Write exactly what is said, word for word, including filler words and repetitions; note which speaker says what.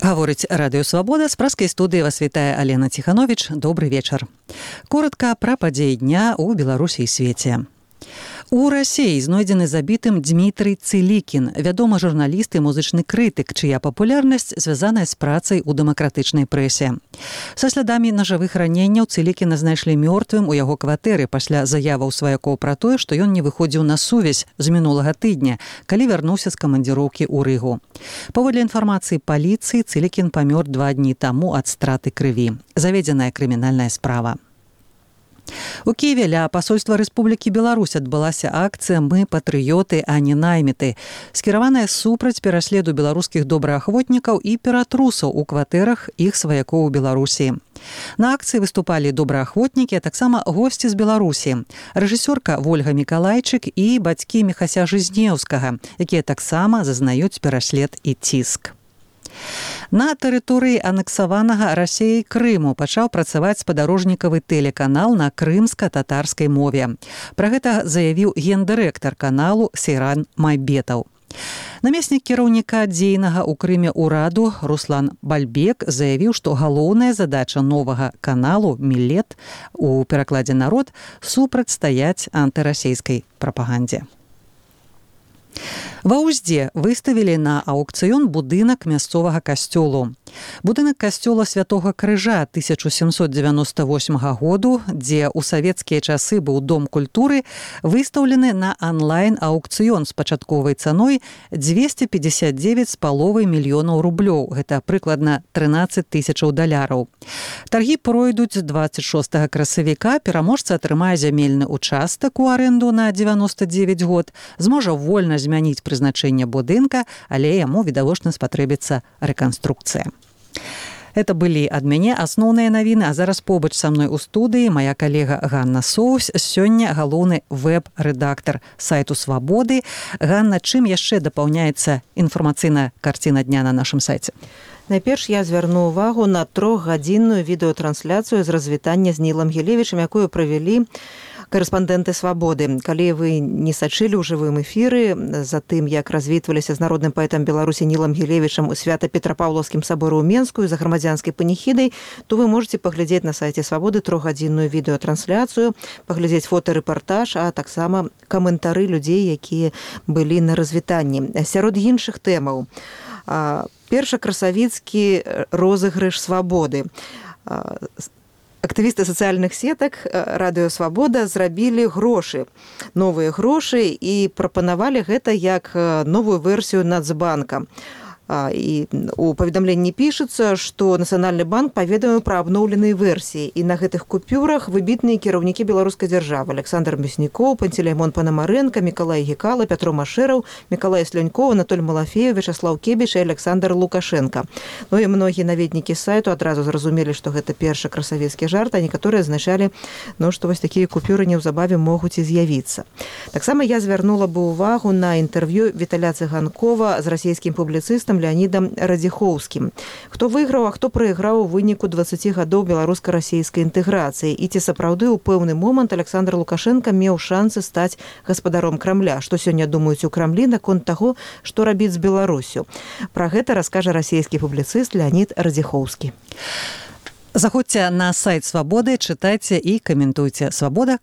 Speaker 1: Гаворыць радыё «Свабода», з праскай студыі вас вітае Алена Ціхановіч. Добры вечар. Коратка пра падзеі дня ў Беларусі і свеце. У Расіі знойдзены забітым Дмітрый Цылікін, вядомы журналіст і музычны крытык, чыя папулярнасць звязаная з працай у дэмакратычнай прэсе. Са слядамі нажавых раненняў Цылікіна знайшлі мёртвым у яго кватэры пасля заяваў сваякоў пра тое, што ён не выходзіў на сувязь з мінулага тыдня, калі вярнуўся з камандзіроўкі ў Рыгу. Паводле інфармацыі паліцыі, Цылікін памёр два дні таму ад страты крыві. Заведзеная крымінальная справа. У Киеве ля пасольства Рэспублікі Беларусь адбылася акцыя «Мы патрыёты, а не найміты», скіраваная супраць пераследу беларускіх добраахвотнікаў і ператрусаў у кватэрах іх сваякоў у Беларусі. На акцыі выступалі добраахвотнікі, а таксама госці з Беларусі, рэжысёрка Вольга Мікалайчык і бацькі Міхася Жизнеўскага, якія таксама зазнаюць пераслед і ціск. На тэрыторыі анексаванага Расіяй Крыму пачаў працаваць спадарожнікавы тэлеканал на крымска-татарскай мове. Пра гэта заявіў гендырэктар каналу Сейран Майбетаў. Намеснік кіраўніка дзейнага ў Крыме ўраду Руслан Бальбек заявіў, што галоўная задача новага каналу «Мілет» у перакладзе «Народ» супрацьстаяць антырасійскай прапагандзе. Ва Ўздзе выставілі на аўкцыён будынак мясцовага касцёлу. Будынак касцёла Святога Крыжа тысяча сямсот дзевяноста восьмага году, дзе ў савецкія часы быў дом культуры, выстаўлены на онлайн-аўкцыён з пачатковай цаной дзвесце пятьдесят девять з паловай мільёнаў рублёў. Гэта прыкладна трынаццаць тысячаў даляраў. Таргі пройдуць дваццаць шостага красавіка, пераможца атрымае зямельны участак у арэнду на дзевяноста дзевяць год, зможа вольна змяніць прызначэнне будынка, але яму відавочна спатрэбіцца рэканструкцыя. Это былі ад мяне асноўныя навіны, а зараз побач са мной у студыі мая калега Ганна Соус, сёння галоўны вэб-рэдактар сайту «Свабоды». Ганна, чым яшчэ дапаўняецца інфармацыйная карціна дня на нашым сайце?
Speaker 2: Найперш я звярну ўвагу на трохгадзінную відэатрансляцыю з развітання з Нілам Гілевічам, якую правялі корэспандэнты «Свабоды». Калі вы не сачылі ў жывым эфіры за тым, як развітваліся з народным паэтам Беларусі Нілам Гілевічам у свята-петрапаўлаўскім саборы ў Менску за грамадзянскай паніхідай, то вы можете паглядзець на сайце «Свабоды» трохгадзінную відэатрансляцыю, паглядзець фотарэпартаж, а таксама каментары людзей, якія былі на развітанні. Сярод іншых тэмаў. Першакрасавіцкі розыгрыш «Свабоды». Актывісты сацыяльных сетак радыё «Свабода» зрабілі грошы, новыя грошы і прапанавалі гэта як новую версію Нацбанка. І у паведамленні пішацца, што Нацыянальны банк паведаміў пра абноўленыя версіі, і на гэтых купюрах выбітныя кіраўнікі беларускай дзяржавы: Александр Мяснікоў, Пантелеймон Панамарэнка, Мікалай Гекала, Пятро Машэраў, Мікалай Слянькоў, Анатоль Малафеев, Вячаслаў Кебіш і Александр Лукашенко. Ну і многія наведнікі сайту адразу зразумелі, што гэта першы красавецкі жарт, а некаторыя азначалі, ну, што вось такія купюры неўзабаве могуць і з'явіцца. Таксама я звярнула бы ўвагу на інтэрв'ю Віталя Цыганкова з расійскім публіцыстам Леонідам Радзіхоўскім. Хто выйграў, а хто прайграў у выніку дваццаці гадоў беларуска-расійскай інтэграцыі, і ці сапраўды ў пэўны момант Александр Лукашенко меў шансы стаць гаспадаром Крамля. Што сёння думаюць у Крамлі наконт таго, што рабіць з Беларусю? Пра гэта раскажа расійскі публіцыст Леонід Радзіхоўскі.
Speaker 1: Заходзьце на сайт «Свабоды», чытайце і каментуйце. «Свабода»